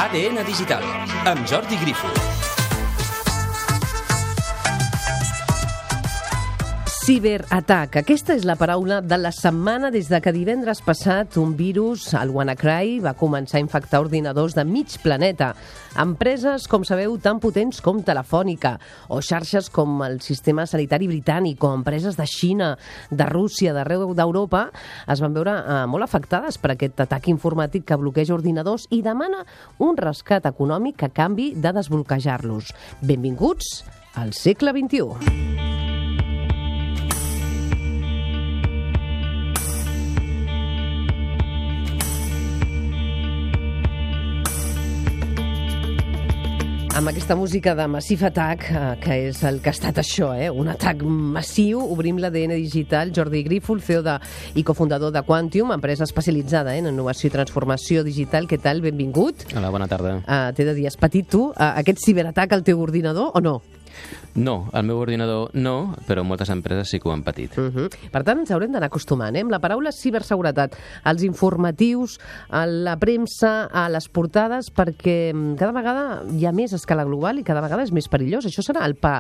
ADN Digital, amb Jordi Grifo. Ciberatac. Aquesta és la paraula de la setmana des de que divendres passat un virus, el WannaCry, va començar a infectar ordinadors de mig planeta. Empreses, com sabeu, tan potents com Telefònica, o xarxes com el sistema sanitari britànic, o empreses de Xina, de Rússia, d'arreu d'Europa, es van veure molt afectades per aquest atac informàtic que bloqueja ordinadors i demana un rescat econòmic a canvi de desbloquejar-los. Benvinguts al segle XXI. Amb aquesta música de Massive Attack, que és el que ha estat això, un atac massiu, obrim l'ADN digital. Jordi Grifo, el CEO i cofundador de Quantium, empresa especialitzada en innovació i transformació digital. Què tal? Benvingut. Hola, bona tarda. T'he de dir, has patit tu aquest ciberatac al teu ordinador o no? No, al meu ordinador no, però moltes empreses sí que ho han patit. Per tant, ens haurem d'anar acostumant, amb la paraula ciberseguretat, als informatius, a la premsa, a les portades, perquè cada vegada hi ha més a escala global i cada vegada és més perillós. Això serà el pa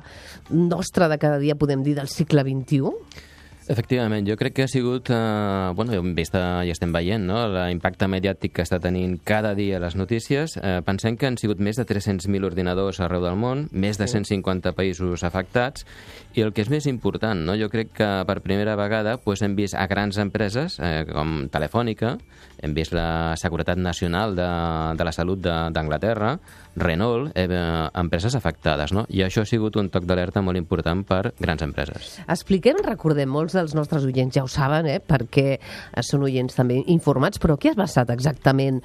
nostre de cada dia, podem dir, del segle XXI? Efectivament, jo crec que ha sigut, hem vist i estem veient, no?, l'impacte mediàtic que està tenint cada dia les notícies. Pensem que han sigut més de 300.000 ordinadors arreu del món, més de 150 països afectats, i el que és més important, no?, jo crec que per primera vegada hem vist a grans empreses com Telefònica, hem vist la Seguretat Nacional de la Salut d'Anglaterra, Renault, empreses afectades, no? I això ha sigut un toc d'alerta molt important per grans empreses. Expliquem, recordem, molts dels nostres oients ja ho saben, perquè són oients també informats, però què ha passat exactament?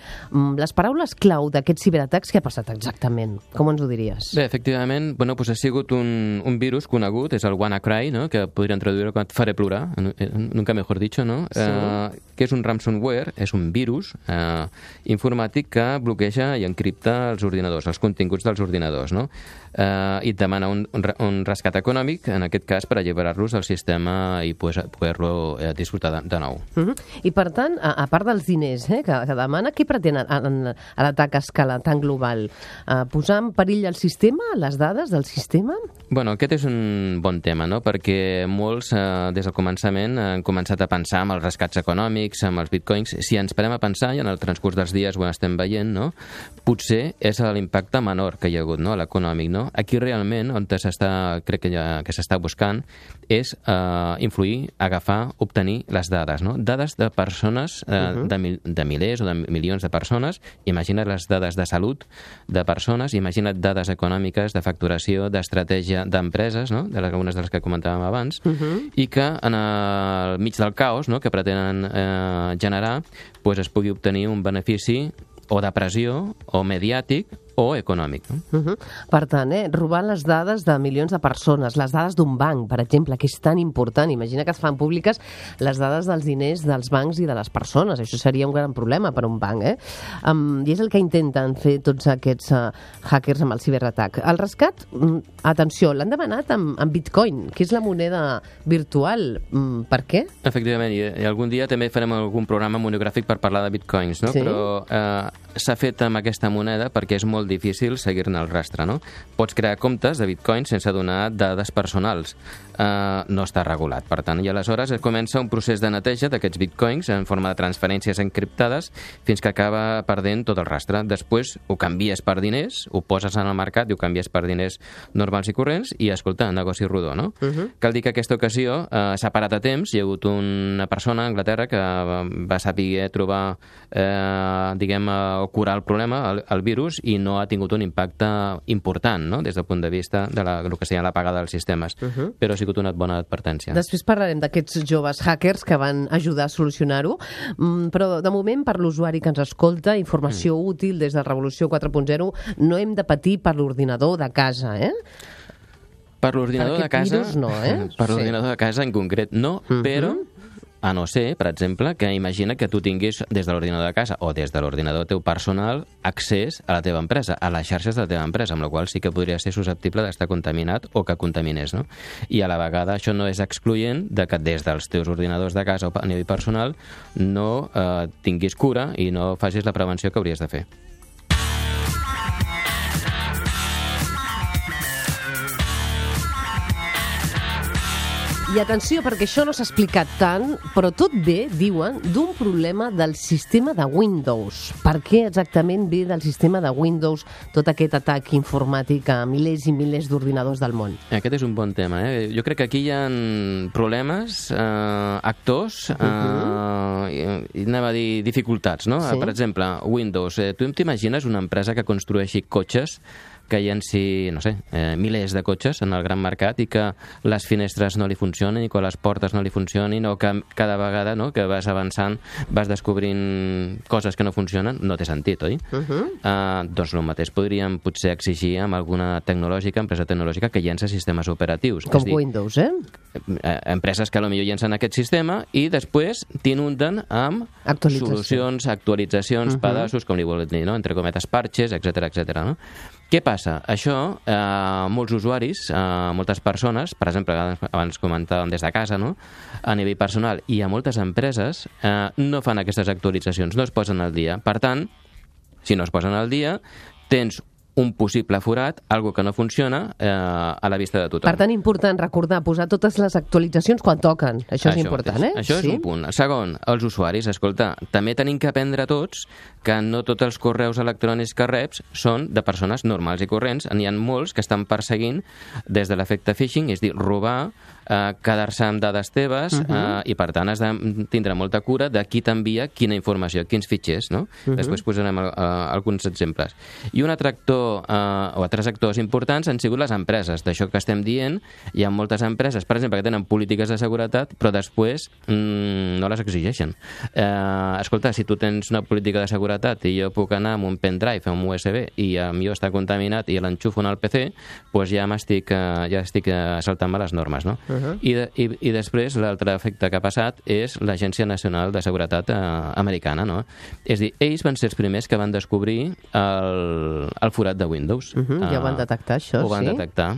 Les paraules clau d'aquests ciberatacs, què ha passat exactament? Com ens ho diries? Bé, efectivament, ha sigut un virus conegut, és el WannaCry, no?, que podríem traduir com et faré plorar, nunca mejor dicho, no? Sí. Que és un ransomware, és un virus informàtic que bloqueja i encripta els ordinadors, els continguts dels ordinadors, no? I et demana un rescat econòmic, en aquest cas, per alliberar-los del sistema i poder-lo disfrutar de nou. I, per tant, a part dels diners que demana, què pretén a l'atac a escala tan global? Posar en perill el sistema, les dades del sistema? Aquest és un bon tema, no?, perquè molts, des del començament, han començat a pensar en els rescats econòmics, amb els bitcoins. Si ens parem a pensar, i en el transcurs dels dies ho estem veient, no?, potser és l'impacte menor que hi ha hagut, no?, l'econòmic, no? Aquí realment, on crec que s'està buscant, és influir, agafar, obtenir les dades, no? Dades de persones, de milers o de milions de persones. Imagina't les dades de salut de persones, imagina't dades econòmiques, de facturació, d'estratègia d'empreses, no?, algunes de les que comentàvem abans, i que en el mig del caos, no?, que pretenen generar, es pugui obtenir un benefici o de pressió, o mediàtic, o econòmic. Per tant, robar les dades de milions de persones, les dades d'un banc, per exemple, que és tan important. Imagina que es fan públiques les dades dels diners dels bancs i de les persones. Això seria un gran problema per a un banc. I és el que intenten fer tots aquests hackers amb el ciberatac. El rescat, atenció, l'han demanat amb Bitcoin, que és la moneda virtual. Per què? Efectivament, i algun dia també farem algun programa monogràfic per parlar de bitcoins, no? Sí? Però s'ha fet amb aquesta moneda perquè és molt difícil seguir-ne el rastre, no? Pots crear comptes de bitcoins sense donar dades personals. No està regulat, per tant. I aleshores comença un procés de neteja d'aquests bitcoins en forma de transferències encriptades fins que acaba perdent tot el rastre. Després ho canvies per diners, ho poses en el mercat i ho canvies per diners normals i corrents i, escolta, negoci rodó, no? Cal dir que aquesta ocasió s'ha parat a temps. Hi ha hagut una persona a Anglaterra que va saber trobar, o curar el problema, el virus, i no ha tingut un impacte important, no?, des del punt de vista de el que seria l'apagada dels sistemes. Però ha sigut una bona advertència. Després parlarem d'aquests joves hackers que van ajudar a solucionar-ho, però de moment, per l'usuari que ens escolta, informació útil des de Revolució 4.0, no hem de patir per l'ordinador de casa, Per l'ordinador de casa... Virus no, Per l'ordinador de casa en concret no, però A no ser, per exemple, que imagina que tu tinguis des de l'ordinador de casa o des de l'ordinador teu personal accés a la teva empresa, a les xarxes de la teva empresa, amb la qual sí que podria ser susceptible d'estar contaminat o que contaminés, no? I a la vegada això no és excloent de que des dels teus ordinadors de casa o a nivell personal no tinguis cura i no facis la prevenció que hauries de fer. I atenció, perquè això no s'ha explicat tant, però tot ve, diuen, d'un problema del sistema de Windows. Per què exactament ve del sistema de Windows tot aquest atac informàtic a milers i milers d'ordinadors del món? Aquest és un bon tema. Jo crec que aquí hi ha problemes, actors, i anem a dir dificultats, no? Sí. Per exemple, Windows. Tu t'imagines una empresa que construeixi cotxes que llenci, no sé, milers de cotxes en el gran mercat i que les finestres no li funcionin i que les portes no li funcionin o que cada vegada que vas avançant vas descobrint coses que no funcionen, no té sentit, oi? Doncs el mateix podríem potser exigir amb alguna empresa tecnològica que llença sistemes operatius. Com Windows, Empreses que potser llencen aquest sistema i després t'inunden amb solucions, actualitzacions, pedaços, com li volen dir, no? Entre cometes, parches, etc etc. No? Què passa? Això, molts usuaris, moltes persones, per exemple, abans comentàvem des de casa, no? A nivell personal, i a moltes empreses, no fan aquestes actualitzacions, no es posen al dia. Per tant, si no es posen al dia, tens un possible forat, algo que no funciona a la vista de tothom. Per tant, important recordar, posar totes les actualitzacions quan toquen. Això és important, Això és un punt. Segon, els usuaris, escolta, també tenim que aprendre tots que no tots els correus electrònics que reps són de persones normals i corrents. N'hi ha molts que estan perseguint des de l'efecte phishing, és a dir, robar, quedar-se amb dades teves i, per tant, has de tindre molta cura de qui t'envia quina informació, quins fitxers, no? Després posarem alguns exemples. I un altre actor o altres actors importants han sigut les empreses. D'això que estem dient, hi ha moltes empreses, per exemple, que tenen polítiques de seguretat, però després no les exigeixen. Escolta, si tu tens una política de seguretat i jo puc anar amb un pendrive, amb un USB, i el meu està contaminat i l'enxufo en el PC, doncs ja estic saltant-me les normes, no? I després l'altre efecte que ha passat és l'Agència Nacional de Seguretat americana, no? És a dir, ells van ser els primers que van descobrir el forat de Windows. Ja ho van detectar, això, ho van detectar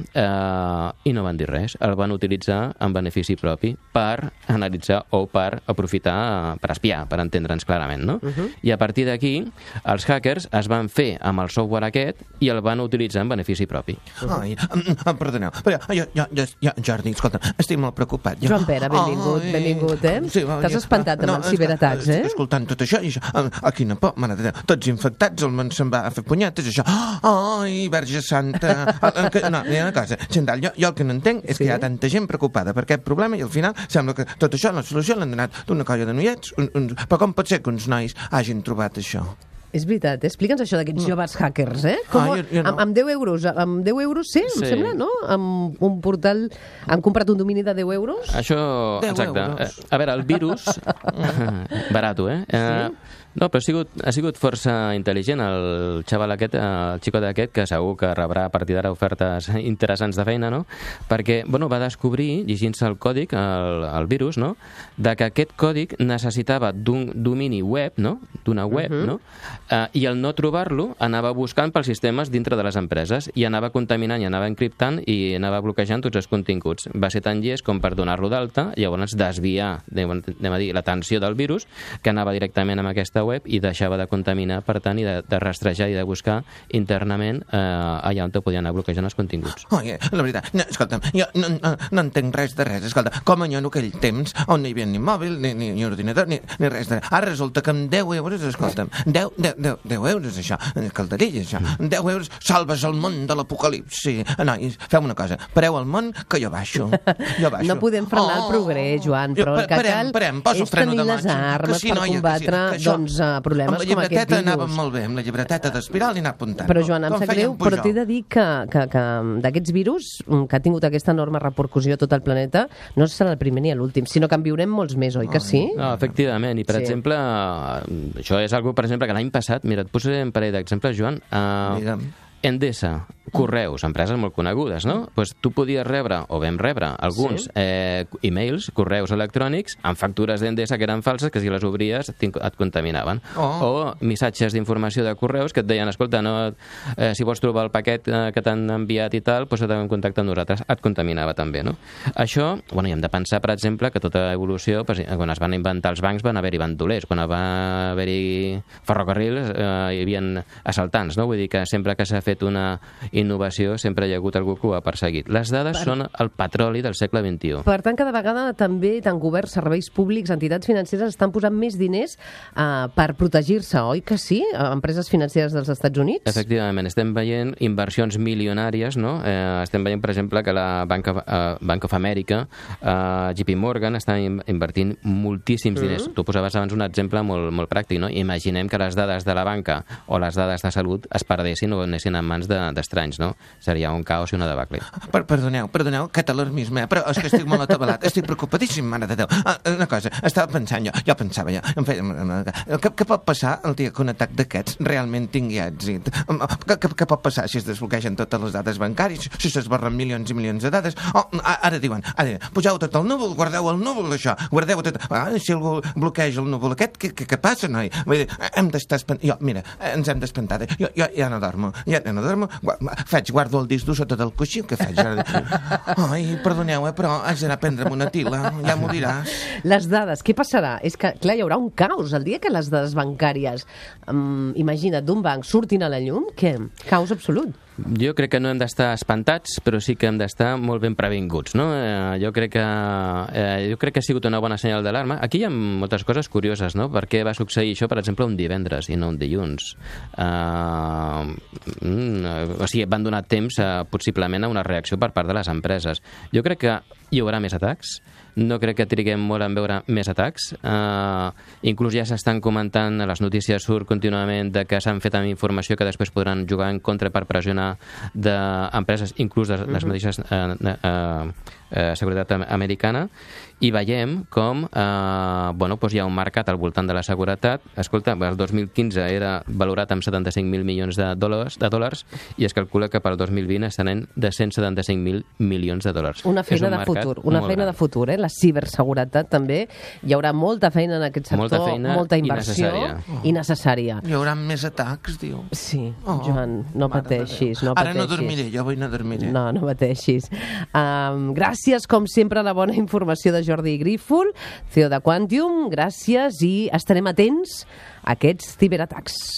i no van dir res. El van utilitzar en benefici propi per analitzar o per aprofitar, per espiar, per entendre'ns clarament, no? I a partir d'aquí, els hackers es van fer amb el software aquest i el van utilitzar en benefici propi. Ai, perdoneu, però jo, Jordi, escolta, estic molt preocupat. Joan Pere, benvingut, Sí, t'has espantat amb els ciberatacs, Estic escoltant tot això i això, quina por, mare de Déu, tots infectats, el món se'n va a fer punyetes, això. Ai, Verge Santa. No, hi ha una cosa, Xandall, jo el que no entenc és que hi ha tanta gent preocupada per aquest problema i al final sembla que tot això, la solució l'han donat d'una colla de noiets. Però com pot ser que uns nois hagin trobat això? És veritat, explica'ns això d'aquests joves hackers, Com, jo no. amb 10 euros, sí, em sembla, no? Amb un portal, han comprat un domini de 10 euros? Això, 10 exacte. euros. A veure, el virus, barato, Sí. No, però ha sigut força intel·ligent el xaval aquest, el xicot aquest, que segur que rebrà a partir d'ara ofertes interessants de feina, no? Perquè, va descobrir, llegint-se el còdic, el virus, no? De que aquest còdic necessitava d'un domini web, no? D'una web, no? I al no trobar-lo, anava buscant pels sistemes dintre de les empreses i anava contaminant i anava encriptant i anava bloquejant tots els continguts. Va ser tan llest com per donar-lo d'alta i llavors desviar, anem a dir, l'atenció del virus, que anava directament amb aquesta web i deixava de contaminar, per tant, i de rastrejar i de buscar internament allà on te podien anar bloquejant els continguts. La veritat, escolta'm, jo no entenc res de res. Escolta, com en aquell temps on no hi havia ni mòbil, ni ordinador, ni res de res. Ara resulta que amb 10 euros, escolta'm, 10 euros, això, calderilles, això, 10 euros, salves el món de l'apocalipsi. Nois, feu una cosa, pareu el món que jo baixo. No podem frenar el progrés, Joan, però el que cal és tenir les armes per combatre, problemes com aquest virus. Amb la llibreteta anàvem molt bé, amb la llibreteta d'espiral i anar apuntant. Però, Joan, em sap greu, però t'he de dir que d'aquests virus, que ha tingut aquesta enorme repercussió a tot el planeta, no serà el primer ni l'últim, sinó que en viurem molts més, oi que sí? No, efectivament, i per exemple, això és algo, per exemple, que l'any passat, mira, et posaré un parell d'exemples, Joan. Digue'm. Endesa, correus, empreses molt conegudes, no? Pues tu podies rebre, o vam rebre, alguns e-mails, correus electrònics, amb factures d'Endesa que eren falses, que si les obries et contaminaven. O missatges d'informació de correus que et deien, escolta, si vols trobar el paquet que t'han enviat i tal, doncs et en contacte amb nosaltres. Et contaminava també, no? Això, i hem de pensar, per exemple, que tota evolució, quan es van inventar els bancs, van haver-hi bandolers. Quan va haver-hi ferrocarrils, hi havia assaltants, no? Vull dir que sempre que s'ha fet una innovació sempre hi ha hagut algú que ho ha perseguit. Les dades són el petroli del segle XXI. Per tant, cada vegada també tant governs, serveis públics, entitats financeres estan posant més diners per protegir-se, oi que sí? Empreses financeres dels Estats Units? Efectivament, estem veient inversions milionàries, no? Estem veient, per exemple, que la Bank of America, JP Morgan, està invertint moltíssims diners. Tu posaves abans un exemple molt pràctic, no? Imaginem que les dades de la banca o les dades de salut es perdessin o anessin en mans d'estranys, no? Seria un caos i una debacle. Perdoneu, aquest alarmisme, però és que estic molt atabalat, estic preocupadíssim, mare de Déu. Una cosa, estava pensant jo pensava ja, què pot passar el dia que un atac d'aquests realment tingui èxit? Què pot passar si es desbloquegen totes les dades bancàries, si s'esborren milions i milions de dades? Ara diuen, poseu tot al núvol, guardeu el núvol, això, guardeu tot. Si algú bloqueja el núvol aquest, què passa, noi? Vull dir, hem d'estar espantats. Mira, ens hem d'espantar. Jo ja no dormo, guardo el disc dur sota del coixí, què faig? Ai, perdoneu, però haig d'anar a prendre'm una tila, ja m'ho diràs. Les dades, què passarà? És que, clar, hi haurà un caos el dia que les dades bancàries, imagina't, d'un banc surtin a la llum, què? Caos absolut. Jo crec que no hem d'estar espantats, però sí que hem d'estar molt ben previnguts, no? Jo crec que ha sigut una bona senyal d'alarma. Aquí hi ha moltes coses curioses, no? Per què va succeir això, per exemple, un divendres i no un dilluns? O sigui, van donar temps, possiblement, a una reacció per part de les empreses. Jo crec que hi haurà més atacs. No crec que triguem molt en veure més atacs. Inclús ja s'estan comentant, a les notícies surt contínuament de que s'han fet amb informació que després podran jugar en contra per pressionar d'empreses, inclús de les mateixes seguretat americana, i veiem com hi ha un mercat al voltant de la seguretat. Escolta, el 2015 era valorat amb 75.000 milions de dòlars i es calcula que pel 2020 estaran de 175.000 milions de dòlars. Una feina de futur, de futur, la ciberseguretat també. Hi haurà molta feina en aquest sector, molta inversió i necessària. Hi haurà més atacs, diu. Sí, Joan, no pateixis. Ara no dormiré, jo avui no dormiré. No pateixis. Gràcies, com sempre, a la bona informació de Jordi Grífol, CEO de Quantium. Gràcies i estarem atents a aquests ciberatacs.